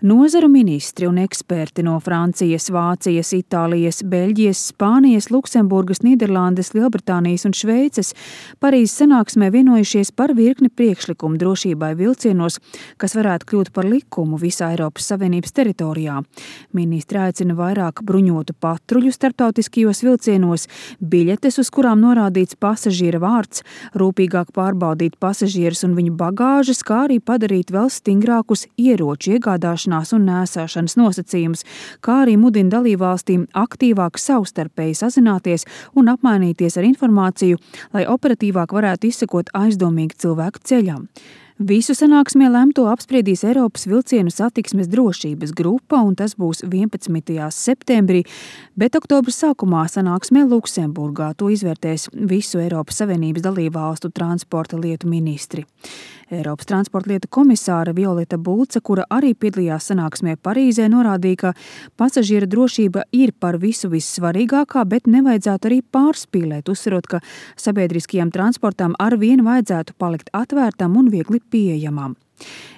Nozaru ministri un eksperti no Francijas, Vācijas, Itālijas, Beļģijas, Spānijas, Luksemburgas, Nīderlandes, Lielbritānijas un Šveices Parīzes sanāksmē vienojušies par virkni priekšlikumu drošībai vilcienos, kas varētu kļūt par likumu visā Eiropas Savienības teritorijā. Ministri aicina vairāk bruņotu patruļu starptautiskajos vilcienos, biļetes, uz kurām norādīts pasažiera vārds, rūpīgāk pārbaudīt pasažierus un viņu bagāžas, kā arī padarīt vēl stingrākus ieroču iegādāšanās un nēsāšanas nosacījumus, kā arī mudina dalībvalstīm aktīvāk savstarpēji sazināties un apmainīties ar informāciju, lai operatīvāk varētu izsekot aizdomīgu cilvēku ceļam. Visu sanāksmē lemto apspriedīs Eiropas vilcienu satiksmes drošības grupa, un tas būs 11. septembrī, bet oktobra sākumā sanāksmē Luksemburgā. To izvērtēs visu Eiropas Savienības dalībvalstu transporta lietu ministri. Eiropas transporta lietu komisāra Violeta Bulce, kura arī piedalījās sanāksmē Parīzē, norādīja, ka pasažiera drošība ir par visu vissvarīgākā, bet nevajadzētu arī pārspīlēt, uzsverot, ka sabiedriskajam transportam arvien vajadzētu palikt atvērtam un viegli pieejamām.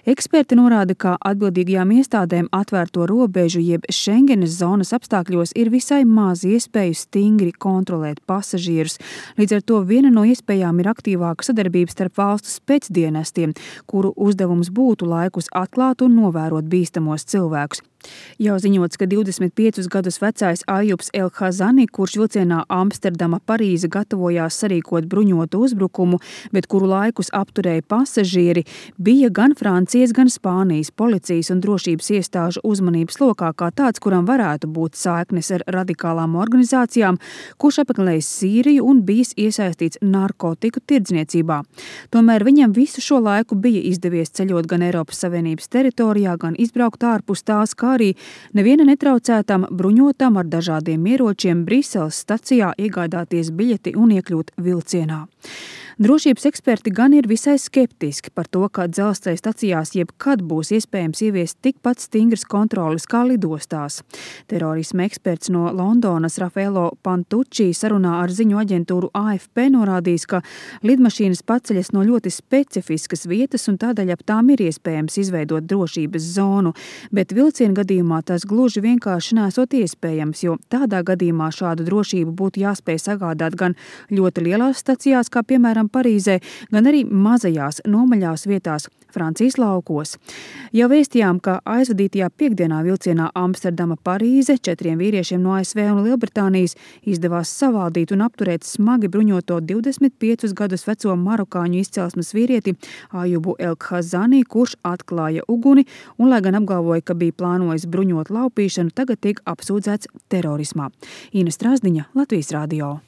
Eksperti norāda, ka atbildīgajām iestādēm atvērto robežu jeb Schengenes zonas apstākļos ir visai maz iespēju stingri kontrolēt pasažierus. Līdz ar to viena no iespējām ir aktīvāka sadarbība starp valstu spēcdienestiem, kuru uzdevums būtu laikus atklāt un novērot bīstamos cilvēkus. Jau ziņots, ka 25 gadus vecais Ajubs El-Khazani, kurš vilcienā Amsterdama-Parīze gatavojās sarīkot bruņotu uzbrukumu, bet kuru laikus apturēja pasažieri, bija gan Francijas, gan Spānijas policijas un drošības iestāžu uzmanības lokā kā tāds, kuram varētu būt saiknes ar radikālām organizācijām, kurš apmeklējis Sīriju un bijis iesaistīts narkotiku tirdzniecībā. Tomēr viņam visu šo laiku bija izdevies ceļot gan Eiropas Savienības teritorijā, gan izbraukt ārpus tās, kā arī neviena netraucētam bruņotam ar dažādiem ieročiem Briseles stacijā iegādāties biļeti un iekļūt vilcienā. Drošības eksperti gan ir visai skeptiski par to, ka dzelzceļa stacijās jebkad būs iespējams ieviest tikpat stingras kontroles kā lidostās. Terorisma eksperts no Londonas Raffaello Pantucci sarunā ar ziņu aģentūru AFP norādījis, ka lidmašīnas paceļas no ļoti specifiskas vietas un tādēļ ap tām ir iespējams izveidot drošības zonu, bet vilciena gadījumā tas gluži vienkārši nesot iespējams, jo tādā gadījumā šādu drošību būtu jāspēj sagādāt gan ļoti lielās stacijās, kā piemēram Parīzē, gan arī mazajās nomaļās vietās Francijas laukos. Jau vēstījām, ka aizvadītajā piekdienā vilcienā Amsterdama-Parīze 4 vīriešiem no ASV un Lielbritānijas izdevās savaldīt un apturēt smagi bruņoto 25 gadus veco marokāņu izcelsmes vīrieti Ajubu El-Khazani, kurš atklāja uguni un, lai gan apgalvoja, ka bija plānojis bruņot laupīšanu, tagad tiek apsūdzēts terorismā. Ina Strasdiņa, Latvijas radio.